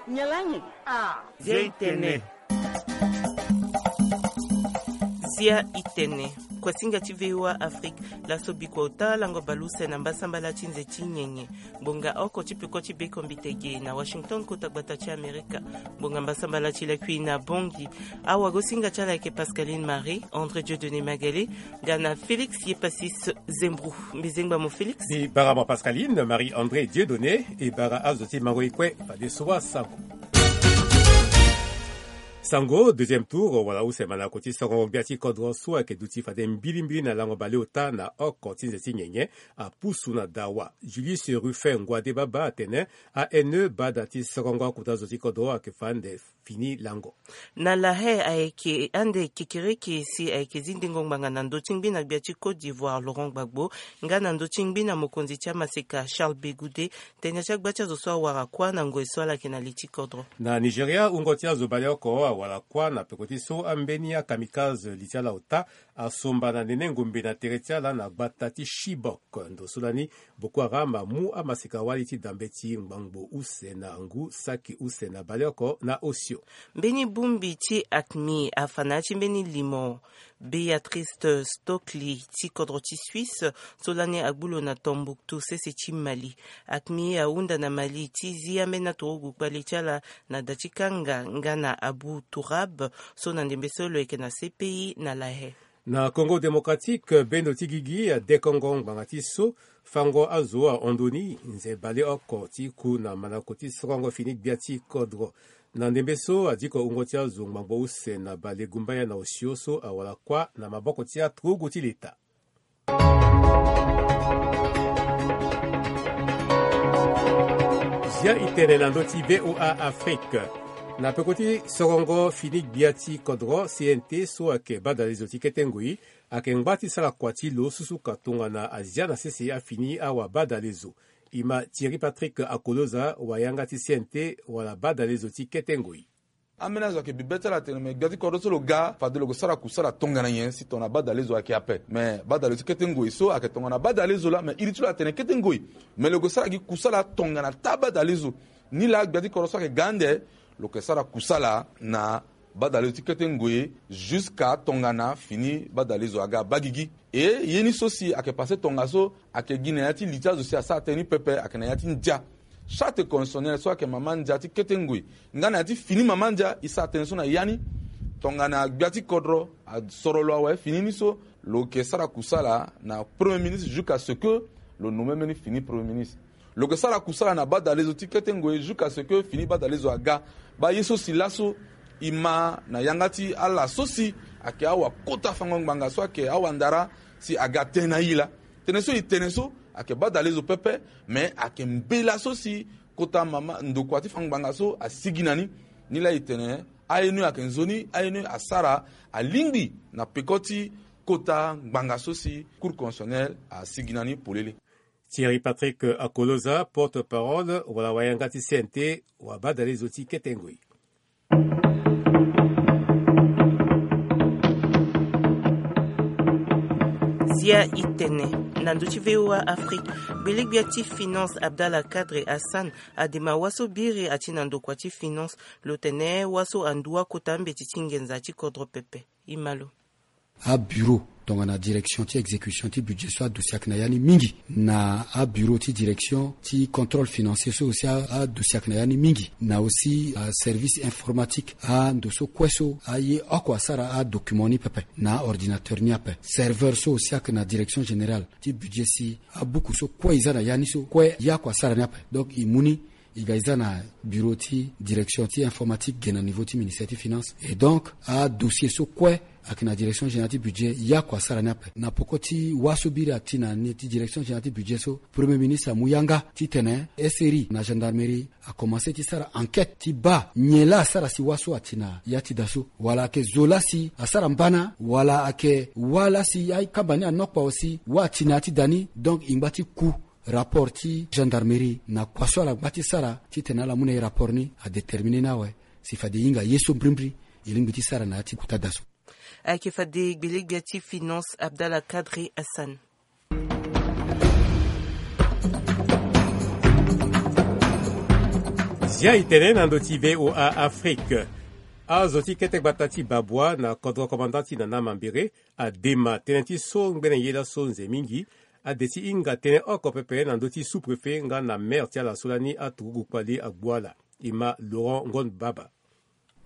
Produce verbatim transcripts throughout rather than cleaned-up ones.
Nyen laa nyen? Ah. Zia i tene. Zia i tene. Kuasinga ti V O A Afrique. Laso bikua ota lango baleuse na mbasambala ti nze ti nyenye. Ngbonga oko ti peko ti bekombite ge na Washington, kota gbata ti Amerika. Ngbonga mbasambala ti lakui na Bangui. Awagosinga ti ala ayeke Pascaline Marie, André Dieudonné Magalé, nga na Félix Yepasis Zembrou. Mbi zengba mo Félix. Mbi bara mo Pascaline Marie André Dieudonné, e bara azo ti mango e kue fadeso asango. Sango, deuxième tour wala use mandango ti sorongo gbia ti kodro so ayeke duti fade mbilimbili na lango baleota na oko ti nze ti nyenye, apusu na dawa. Julius Ruffin Nguadé Baba atene, A N E bada ti sorongo akota zo ti kodro ayeke fa ande fini lango. Na La Haye ayeke ande kekereke si ayeke zi ndengo ngbanga na ndö ti ngbi na gbia ti Côte d'Ivoire Laurent Gbagbo, nga na ndö ti ngbi na mokonzi ti amaseka Charles Begoudé, tënë ti agba ti azo so awara kuâ na ngoi so ala yeke na li ti kodro. Na Nigeria, wungo ti azo baleoko awara kuâ na peko ti so ambeni akamikaze li ti ala ota asomba na nene ngombe na tere ti ala na gbata ti Chibok. Ndo so lani Boko Haram amu amaseka wali ti da mbeti ngbangbo use na ngu saki use na baleoko na osio. Mbeni bongbi ti AQMI afa na ya ti mbeni limo Béatrice Stockley ti kodro ti Suisse so lani agbu lo na Tombouctou sese ti Mali. AQMI ahunda na Mali ti zi ambeni aturugu kpale ti ala na da ti kanga nga na Abou Tourab so na ndembe so lo yeke na C P I na La Haye. Na Congo Démocratique, bendo ti gigi adekongo ngbanga ti so fango azo ahon ndo ni nze baleoko ti ku na mandango ti sorongo fini gbia ti kodro. Na ndembe so adiko wungo ti azo ngbangbo use na balegumbaya na osio so awara kuâ na maboko ti aturugu ti leta. Zia i tene na ndö ti V O A Afrique. Na peko ti sorongo fini gbia ti kodro, C N T so ayeke badalezo ti kete ngoi ayeke ngba ti sara kua ti lo susuka tongana azia na sese afini awabadalezo. E ma Thierry Patrick Akoloza, wayanga ti C N T wala badalezo ti kete ngoi. Ambeni azo ayeke bibe ti ala atene me gbia ti kodro so lo ga fade lo ke sara kusala tongana nyen si tongana badalezo ayeke ape. Me badalezo ti kete ngoi so ayeke tongana badalezo laa, me iri ti lo atene kete ngoi. Me lo ke sara gi kusala tongana taa badalezo. Nilaa gbia ti kodro so ayeke ga ande lo ke sara kusala na badalezo ti kete ngoi jusqu'à tongana fini badalezo aga baa gigi. E ye ni so si ayeke pase tongaso ayeke gi na ya ti li ti azo si asara tënë ni pepe ayeke na ya ti ndia. Charte constitutionnelle so ayeke mama ndia ti kete ngoi nga na ya ti fini mama ndia e sara tënë so na ya ni. Tongana gbia ti kodro asoro lo awe fini ni so, lo ke sara kusala na premier ministre jusqu'à ce que lo nomme mbeni fini premier ministre. Lo ke sara kusala na badalezo ti kete ngoi jusqu'à ce que fini badalezo aga. Baa ye so si laso e ma na yanga ti ala so si ayeke awakota fango ngbanga so ayeke awandara si aga tënë na e laa. Tënë so e tene so ayeke badalezo pepe, me ayeke mbela so si kota mama ndokua ti fango ngbanga so asigi na ni. Nilaa e tene A N E ayeke nzoni, A N E asara alingbi na peko ti kota ngbanga so si Cour constitutionnelle asigi na ni polele. Thierry Patrick Akoloza, porte-parole wala wayanga ti C N T, wabadalezo ti kete ngoi. Zia i tene na ndö ti V O A Afrique. Gbelegbia ti finance Abdallah Kadri Hassan adema waso biri ati na ndokua ti finance, lo tene waso andu akota mbeti ti nginza ti kodro pepe. E ma lo. Abureau tongana direction ti exécution ti budget so adossier ayeke na ya ni mingi. Na abureau ti direction ti contrôle financier so aussi adossier ayeke na ya ni mingi. Na aussi aservice informatique, ando so kue so aye oko asara adocument ni pepe na aordinateur ni ape. Serveur so aussi ayeke na direction générale ti budget si abuku so kue e za na ya ni so kue ye oko asara ni ape. Donc e mu ni e ga e za na bureau ti direction ti informatique ge na niveau ti ministère ti finance. Et donc adossier so kue ayeke na direction générale ti budget ye oko asara ni ape. Na poko ti wâ so biri ati na ni ti direction générale ti budget so, premier ministre amu yanga titene S R I na gendarmerie akomanse ti sara enquête ti baa nyen laa asara si wâ so ati na ya ti da so, wala ayeke zo laa si asara mbana, wala ayeke wâ laa si akamba ni anokpa aussi wâ ati na ya ti da ni. Donc e ngba ti ku rapport ti gendarmerie na kua so ala ngba ti sara titene ala mu na e rapport ni adéterminer ni awe si fade e hinga ye so mbrimbri e lingbi ti sara na ya ti kota da so. Ayeke fade gbelegbia ti finance Abdallah Kadri Hassan. Zia e tene na ndö ti V O A Afrique. Azo ti kete gbata ti Babwa na kodro komanda ti Nana Mambere adema tënë ti so ngbene ye laso nze mingi. Ade ti hinga tënë oko pepe na ndö ti sous-préfet nga na maire ti ala so lani aturugu kpali agbu ala. E ma Laurent Ngon Baba.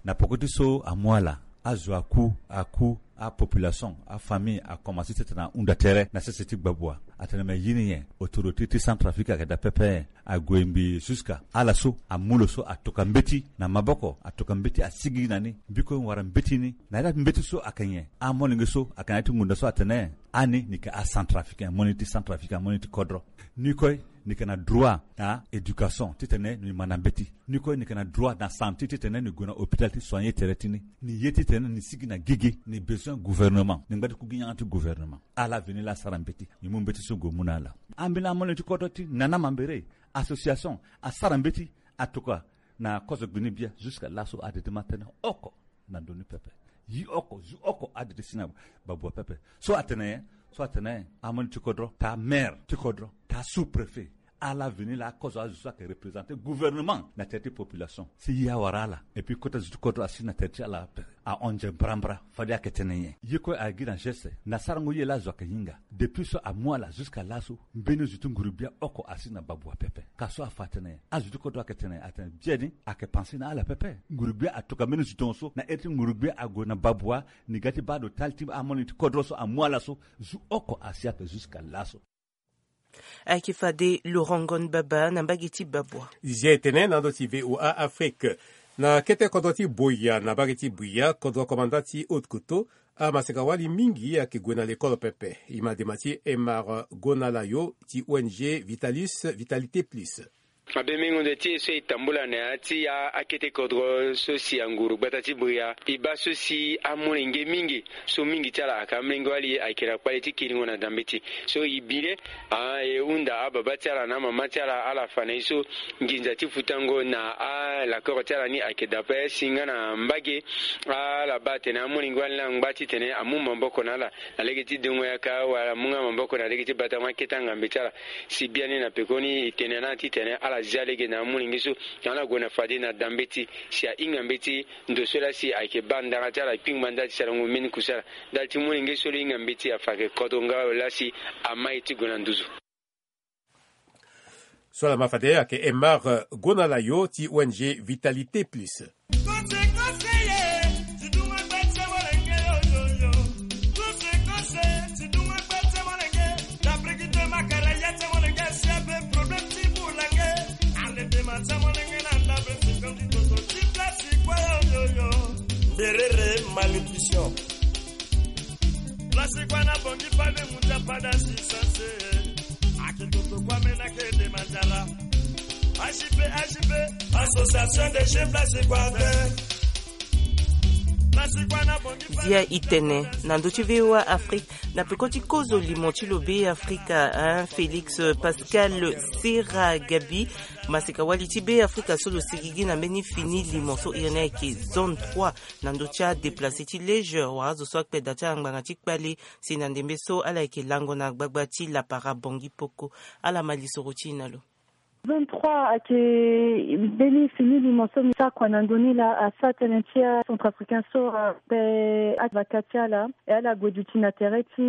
Na poko ti so amu ala, azo aku, aku, apopulation, afamille akomanse ti tene ahunda tere na sese ti gbabua. Atene me ye ni nyen? Autorité ti Centrafrique ayeke daa pepe. Ague mbi jusqu'à ala so amu lo so atoka mbeti na maboko, atoka mbeti asigi na ni. Mbi kue wara mbeti ni. Na ya ti mbeti so ayeke nyen? Amolenge so ayeke na ya ti ngonda so atene ani ni yeke aCentrafricain, mo ni ti Centrafrique, mo ni ti kodro. Ni kue ni yeke na droit na éducation titene ni ma na mbeti. Ni kue ni yeke na droit na santé titene ni gue na hôpital ti soigner tere ti ni. Ni ye titene ni sigi na gigi, ni besoin gouvernement, ni ngba ti ku gi yanga ti gouvernement. Ala veni laa asara mbeti, ni mu mbeti so gue mu na ala. Ambeni amolenge ti kodro ti Nana Mambere, association asara mbeti, atoka na kozo gbini bia jusqu'à laso ade ti ma tënë oko na ndoni pepe. Yi oko, zu oko ade ti si na babua pepe. So atene nyen? So atene amolenge ti kodro, taa maire ti kodro, taa sous-préfet, ala veni laa akozo azo so ayeke représenter gouvernement na tere ti population. Si ye awara ala, et puis kota zo ti kodro asi na tere ti ala pepe. Ahon nze mbrambra, fade ayeke tene nyen? Ye kue ayeke gi na geste na sarango ye laa azo ayeke hinga. Depuis so amu ala jusqu'à laso, mbeni zo ti nguru-gbia oko asi na babua pepe. Ka so afa atene nyen? Azo ti kodro ayeke tene, atene biani ayeke pensé na ala pepe. Nguru-gbia atoka mbeni zo tongaso, na ere ti nguru-gbia ague na babua, ni ga ti baa ado tali ti amolenge ti kodro so amu ala so, zo oko asi ape jusqu'à laso. Ayeke fade Laurent Ngon Baba na mbage ti babua. Zia e tene na ndö ti V O A Afrique. Na kete kodro ti Boya na mbage ti Bouya, kodro komanda ti Haute-Kotto, amaseka-wali mingi ayeke gue na lekolo pepe. E ma dema ti Aymar Gonalayo ti O N G Vitalis, Vitalité Plus. Abe mingo nde ti e so e tambula na ya ti a, akete kodro so si anguru gbata ti Bouya. E baa so si amolenge mingi, so mingi ti ala ayeke amolenge-wali ayeke na kpale ti kiringo na dambeti. So e bi le, a, e hunda ababa ti ala na amama ti ala, ala fa na e so nginza ti futango na alakoro ti ala ni ayeke daa ape si nga na mbage. Ala baa atene amolenge-wali ni angba titene amu maboko na ala na lege ti dengo yaka wala amu nga maboko na lege ti batango akete angambe ti ala. Si biani na pekoni e tene na ala titene ala zia lege na amolenge so, tongana ala gue na fade na dambeti si ahinga mbeti. Ndo so laa si ayeke baa ndara ti ala kpingba ndali ti sarango mbeni kusala. Ndali ti molenge so lo hinga mbeti afa ayeke kodro nga lo laa si amai ti gue na nduzu. So ala ma fade ayeke Aymar Gonalayo ti O N G Vitalité Plus. Berere malnutrition. Place kwa na bongi pale muta pada si sanse. Ake toto kwa mena ke de manzara. H I P, H I P, Association des Jeunes Place kwa te. Place kwa na bongi pale. Zia e tene na ndö ti V O A Afrique, na peko ti kozo limo ti lo Be Afrika, hein, Félix Pascal Sera Gabi, maseka-wali ti Be Afrika so lo sigigi na mbeni fini limo so iri ni ayeke zone trois, na ndö ti adéplacé ti Léger wala azo so akpe da ti ala ngbanga ti kpale, si na ndembe so ala yeke lango na gbagba ti lapara Bangui Poko. Ala ma lisoro ti e na lo. Zone trois ayeke mbeni fini limo so mbi sara kua na ndö ni laa, asara tënë ti acentrafricain so, ape avaka ti ala, e ala gue duti na tere ti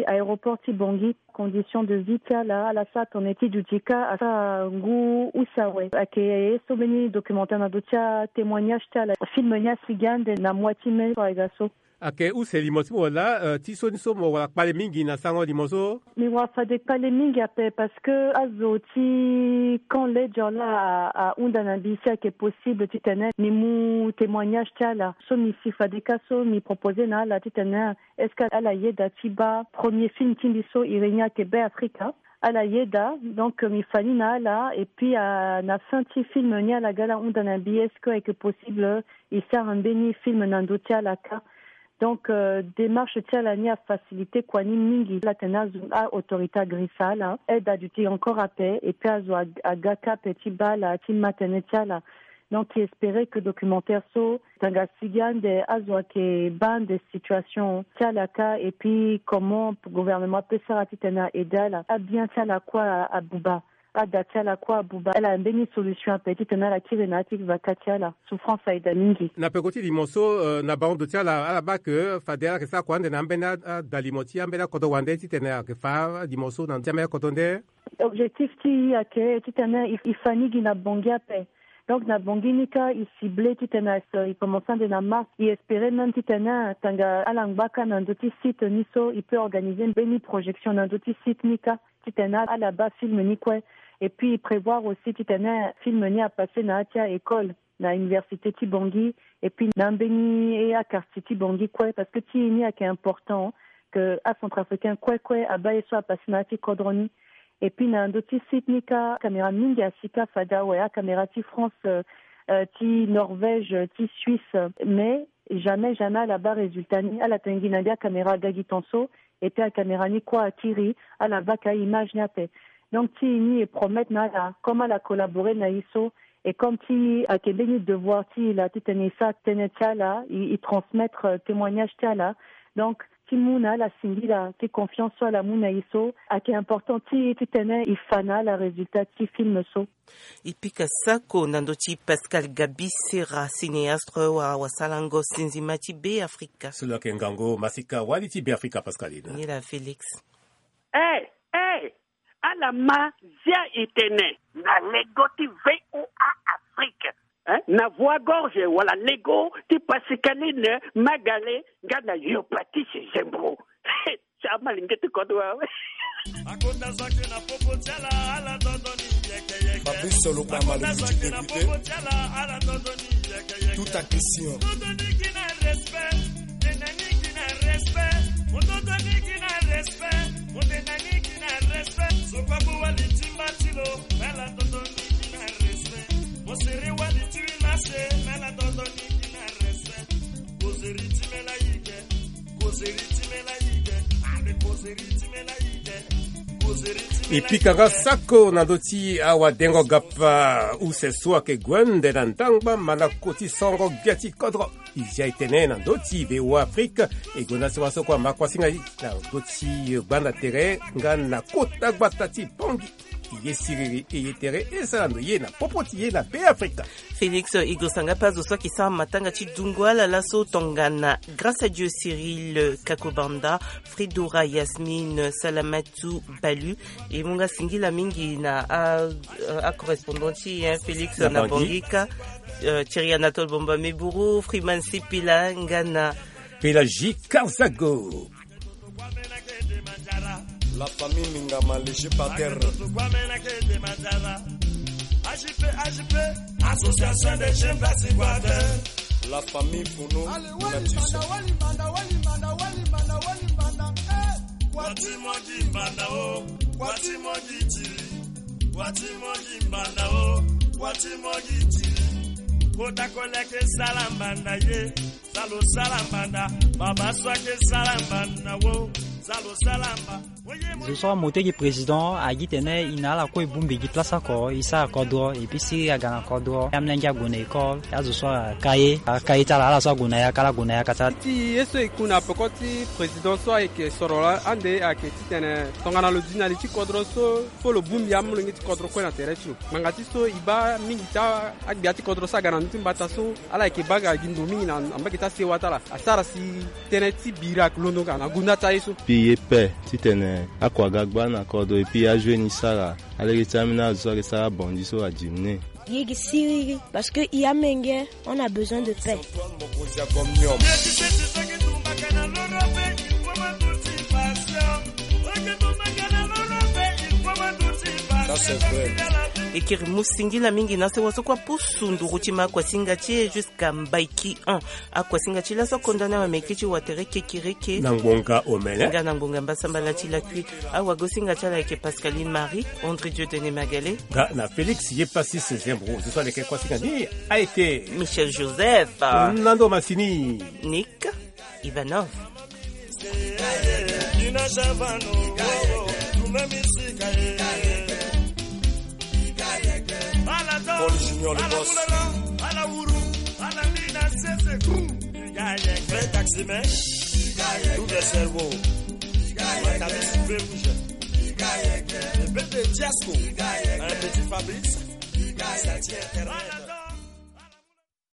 aéroport ti Bangui. Condition de vie ti ala, ala sara tongana ti duti kâ, asara ngu use awe. Ayeke ye so mbeni documentaire na ndö ti atémoignage ti ala. Film ni asigi ande na mois ti mai so ayeke ga so. Ayeke use limo ti mo laa, eh, ti so ni so mo wara kpale mingi na sarango limo so? Mbi wara fade kpale mingi ape parce que azo ti camp Léger laa a, ahunda na mbi si ayeke possible titene mbi mu témoignage ti ala. So mbi si fade kâ so mbi proposé na ala titene est-ce que ala yeda ti baa premier film ti mbi so iri ni ayeke Be Afrika. Ala yeda, donc, euh, mbi fa ni na ala, et puis, euh, na fin ti film ni ala ga ala hunda na mbi est-ce que ayeke possible, euh, e sara mbeni film na ndö ti ala kâ. Donc, euh, démarche ti ala ni afacilité kua ni mingi. Ala tene azo, a-autorité agrisa ala, aide aduti encore ape, et puis azo ag-, aga kâ ape ti baa ala, ti ma tënë ti ala. Donc e espérer que documentaire so tanga sigi ande azo ayeke baa ande situation ti ala kâ, et puis comment gouvernement ape sara titene a aider ala. Abien ti ala kue abuba. Ada ti ala kue abuba, ala mbeni solution ape titene ala kiri na ya ti vaka ti ala. Souffrance ayeda mingi. Na peko ti limo so, euh, na bango ndo ti ala, ala baa ke fade ala yeke sara kua ande na ambeni a, a, adalimo ti ambeni akodro wande titene ayeke fa limo so na ndo ti ambeni akodro nde. Objectif ti e ayeke titene e, e fa ni gi na Bangui ape. Donc na Bangui ni kâ e cible titene e commence ande na mars. E espérer même titene tanga ala ngba kâ na ndö ti site ni so e peut organiser mbeni projection na ndö ti site ni kâ. Titene ala baa film ni kue. Et puis e prévoir aussi titene film ni apasser na ya ti a-école, na université ti Bangui, et puis na ambeni e a-quartier ti Bangui kue, parce que ti e ni ayeke important ke acentrafricain kue kue abaa ye so apasser na ya ti kodro ni. Et puis na ndö ti site ni kâ, acaméra mingi asi kâ fade awe, acaméra ti France, euh, euh, ti Norvège, ti Suisse, mais jamais jamais ala baa résultat ni. Ala tene gi na mbi acaméra aga gi ton so, et puis acaméra ni kue akiri, ala baa ka image ni ape. Donc ti e ni e promettre na ala, comme ala collaborer na e so, et comme ti e ayeke mbeni devoir ti e laa titene e sara tënë ti ala, e, e transmettre, euh, témoignage ti ala. Donc ti mu na ala singila ti confiance so ala mu na e so, ayeke important ti e titene e fa na ala résultat ti film so. E pika sako na ndö ti Pascal Gaby Serra, cinéaste, wala wasalango sinzima ti Beafrika. So lo yeke ngangu masika wali ti Beafrika, Pascaline. Ni laa Félix. Eh, eh, ala ma zia e tene na lego ti V O A Afrique, hein? Na Voix Gorge wala lego ti Pascaline Magale nga na yo Patrice Zembro. Ti amalenge ti kodro awe. Fabrice Solokwa, malongi ti député. Tout à question. E pika nga sako na ndö ti awadengo gapa use so ayeke gue nde na ndangba ma na koti songo gbia ti kodro. E zia e tene na ndö ti V O A Afrique, e gonda sewa so kue ama kuasinga ti na ndö ti gbanda tere nga na kota gbata ti Bangui. Ye siriri e ye tere e sara ndo ye na popo ti ye na Beafrika. Félix, e gosa nga pe azo so ayeke sara matanga ti dungo ala laso tongana Grâce à Dieu Cyril Kakobanda, Fridora Yasmine, Salamatu Balu. E mu nga singila mingi na a, a correspondant ti e, hein, Félix, na Bangui. Bangui kâ, euh, Thierry Anatole Bomba Meburu, Freeman Sipila nga na Pélagie Karzago. La famille Mingama, léger par terre. Association des jeunes Basse-Equateur. La famille Founou, Natisson. Kota koleke sala mbanda ye. Sala sala mbanda, baba so ayeke sala mbanda wo, sala sala mba. Zo so amoto ayeke président agi tene e na ala kue e bongbi gi place oko e sara kodro, et puis si aga na kodro, amolenge ague na école, azo so aka ye, aka ye ti ala, ala so ague na yaka, ala gue na yaka ti ala. Ti ye so e ku na peko ti président so ayeke soro la ande ayeke titene tongana lo di na li ti kodro so, fo lo bongbi amolenge ti kodro kue na tere ti lo. Ngbanga ti so e baa mingi ti a, agbia ti kodro so aga na ndö ti mbata so, ala yeke baa ga gi ndo mingi na, na mbage ti asewa ti ala. Asara si tënë ti bira ayeke londo nga na gonda ti aye so. Puis e ye pe titene akua ga gba na kodro, et puis ajoue ni sara, alege ti ambeni azo so ayeke sara abandi so adimine. Ye gi siriri, parce que e amenge, on a besoin de paix. Ça, c'est vrai. E kiri mu singila mingi na sewa so kue apusu nduru ti ma akuasinga ti e jusqu'à Mbaiki un. Akuasinga ti laso akonda na wameke ti watere kekereke. Na ngbonga omene. Nga na ngbonga mbasambala ti lakui. Awagosinga ti ala ayeke Pascaline Marie, André Dieu Denis Magale. Nga na Félix Yepasis Zembro. Zo so aleke kuasinga ni ayeke Michel Joseph. Na ndo masini. Nick Ivanov. Paul Junior, le boss. Vrai taximan. Double cerveau. Matabisi feu rouge. Le peuple de Diasco, un petit Fabrice.